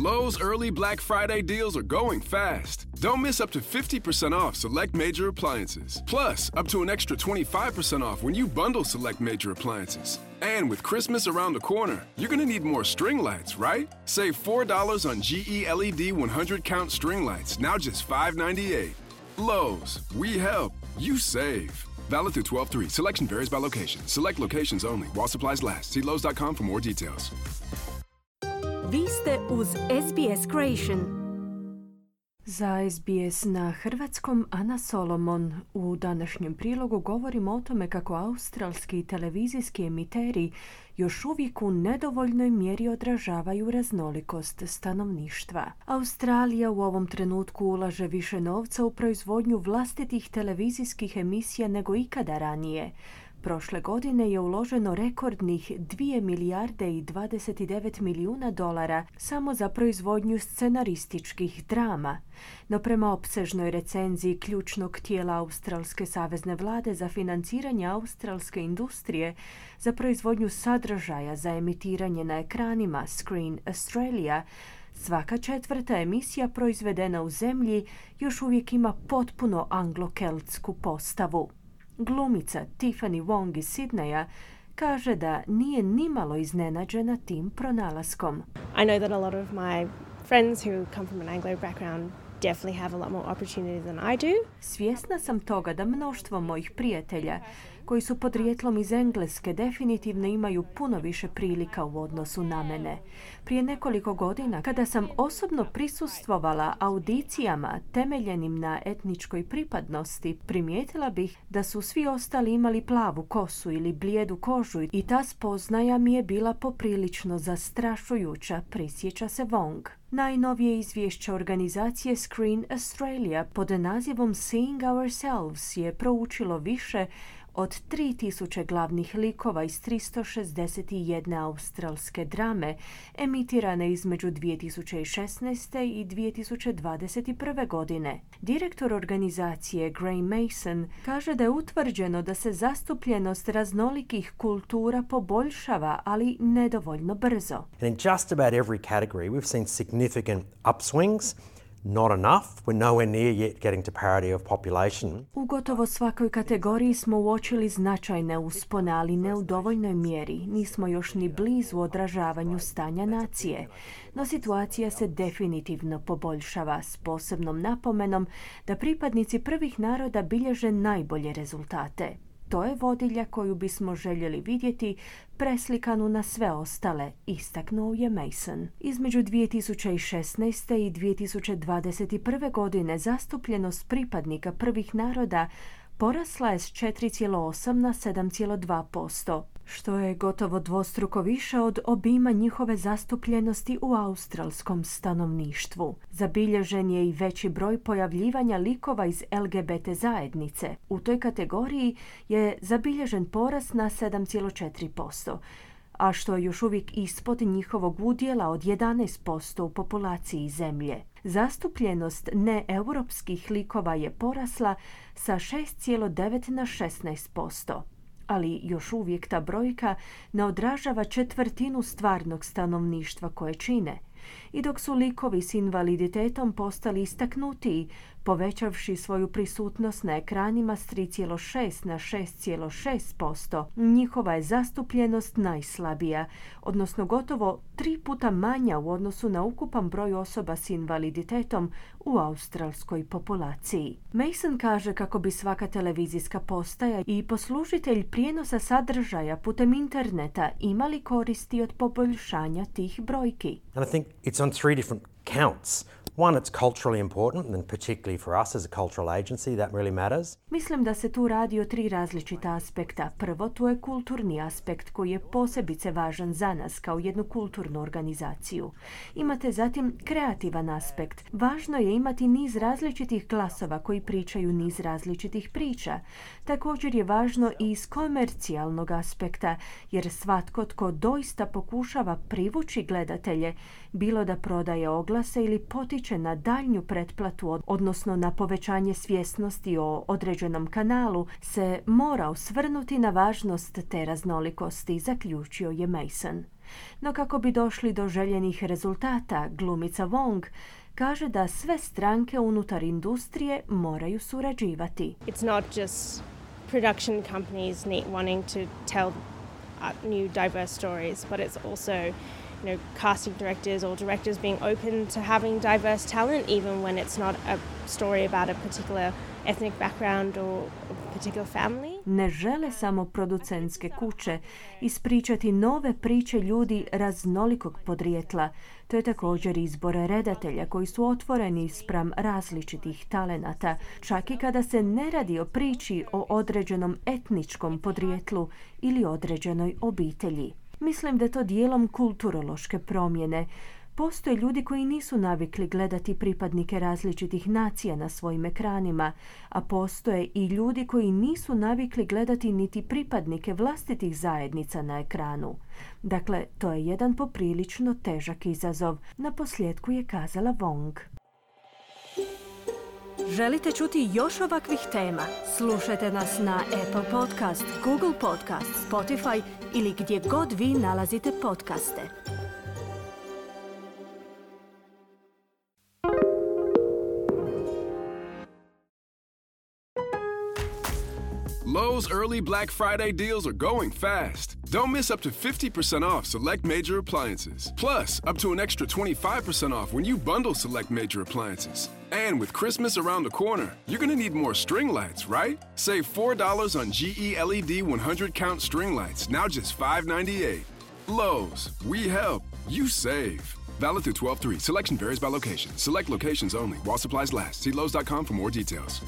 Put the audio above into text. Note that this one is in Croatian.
Lowe's early Black Friday deals are going fast. Don't miss up to 50% off select major appliances. Plus, up to an extra 25% off when you bundle select major appliances. And with Christmas around the corner, you're going to need more string lights, right? Save $4 on GE LED 100 count string lights, now just $5.98. Lowe's, we help, you save. Valid through 12/3. Selection varies by location. Select locations only. While supplies last. See Lowe's.com for more details. Vi ste uz SBS Creation. Za SBS na hrvatskom Ana Solomon. U današnjem prilogu govorimo o tome kako australski televizijski emiteri još uvijek u nedovoljnoj mjeri odražavaju raznolikost stanovništva. Australija u ovom trenutku ulaže više novca u proizvodnju vlastitih televizijskih emisija nego ikada ranije. Prošle godine je uloženo rekordnih 2 milijarde i 29 milijuna dolara samo za proizvodnju scenarističkih drama. No prema opsežnoj recenziji ključnog tijela Australske savezne vlade za financiranje australske industrije za proizvodnju sadržaja za emitiranje na ekranima Screen Australia, svaka četvrta emisija proizvedena u zemlji još uvijek ima potpuno anglo-keltsku postavu. Glumica Tiffany Wong iz Sidneja kaže da nije nimalo iznenađena tim pronalaskom. I know that a lot of my friends who come from an Anglo background definitely have a lot more opportunities than I do. Svjesna sam toga da mnoštvo mojih prijatelja koji su podrijetlom iz Engleske definitivno imaju puno više prilika u odnosu na mene. Prije nekoliko godina, kada sam osobno prisustvovala audicijama temeljenim na etničkoj pripadnosti, primijetila bih da su svi ostali imali plavu kosu ili blijedu kožu i ta spoznaja mi je bila poprilično zastrašujuća, prisjeća se Wong. Najnovije izvješće organizacije Screen Australia pod nazivom Seeing Ourselves je proučilo više od 3000 glavnih likova iz 361 australske drame emitirane između 2016. i 2021. godine. Direktor organizacije Graham Mason kaže da je utvrđeno da se zastupljenost raznolikih kultura poboljšava, ali nedovoljno brzo. And in just about every category we've seen significant upswings. Not enough. We're nowhere near yet getting to parity of population. U gotovo svakoj kategoriji smo uočili značajne uspone, ali ne u dovoljnoj mjeri. Nismo još ni blizu odražavanju stanja nacije. No situacija se definitivno poboljšava, s posebnom napomenom da pripadnici prvih naroda bilježe najbolje rezultate. To je vodilja koju bismo željeli vidjeti preslikanu na sve ostale, istaknuo je Mason. Između 2016. i 2021. godine zastupljenost pripadnika prvih naroda porasla je s 4,8 na 7,2%, što je gotovo dvostruko više od obima njihove zastupljenosti u australskom stanovništvu. Zabilježen je i veći broj pojavljivanja likova iz LGBT zajednice. U toj kategoriji je zabilježen porast na 7,4%, a što je još uvijek ispod njihovog udjela od 11% u populaciji zemlje. Zastupljenost neeuropskih likova je porasla sa 6,9 na 16%. Ali još uvijek ta brojka ne odražava četvrtinu stvarnog stanovništva koje čine. I dok su likovi s invaliditetom postali istaknutiji, povećavši svoju prisutnost na ekranima s 3,6 na 6,6%, njihova je zastupljenost najslabija, odnosno gotovo 3 puta manja u odnosu na ukupan broj osoba s invaliditetom u australskoj populaciji. Mason kaže kako bi svaka televizijska postaja i poslužitelj prijenosa sadržaja putem interneta imali koristi od poboljšanja tih brojki. And I think it's on 3 different counts. One, it's culturally important, and particularly for us as a cultural agency, that really matters. Mislim da se tu radi o 3 različita aspekta. Prvo, tu je kulturni aspekt koji je posebice važan za nas kao jednu kulturnu organizaciju. Imate zatim kreativan aspekt. Važno je imati niz različitih glasova koji pričaju niz različitih priča. Također je važno i iz komercijalnog aspekta, jer svatko tko doista pokušava privući gledatelje, bilo da prodaje oglase ili potiče utječe na daljnju pretplatu, odnosno na povećanje svjesnosti o određenom kanalu, se mora osvrnuti na važnost te raznolikosti, zaključio je Mason. No kako bi došli do željenih rezultata, glumica Wong kaže da sve stranke unutar industrije moraju surađivati. It's not just production companies wanting to tell new diverse stories, but it's also casting directors or directors being open to having diverse talent, even when it's not a story about a particular ethnic background or a particular family. Ne žele samo producentske kuće ispričati nove priče ljudi raznolikog podrijetla. To je također izbor redatelja koji su otvoreni spram različitih talenata, čak i kada se ne radi o priči o određenom etničkom podrijetlu ili određenoj obitelji. Mislim da je to dijelom kulturološke promjene. Postoje ljudi koji nisu navikli gledati pripadnike različitih nacija na svojim ekranima, a postoje i ljudi koji nisu navikli gledati niti pripadnike vlastitih zajednica na ekranu. Dakle, to je jedan poprilično težak izazov, naposljetku je kazala Wong. Želite čuti još ovakvih tema? Slušajte nas na Apple Podcast, Google Podcast, Spotify ili gdje god vi nalazite podcaste. Lowe's early Black Friday deals are going fast. Don't miss up to 50% off select major appliances. Plus, up to an extra 25% off when you bundle select major appliances. And with Christmas around the corner, you're going to need more string lights, right? Save $4 on GE LED 100-count string lights, now just $5.98. Lowe's, we help, you save. Valid through 12/3. Selection varies by location. Select locations only. While supplies last. See Lowe's.com for more details.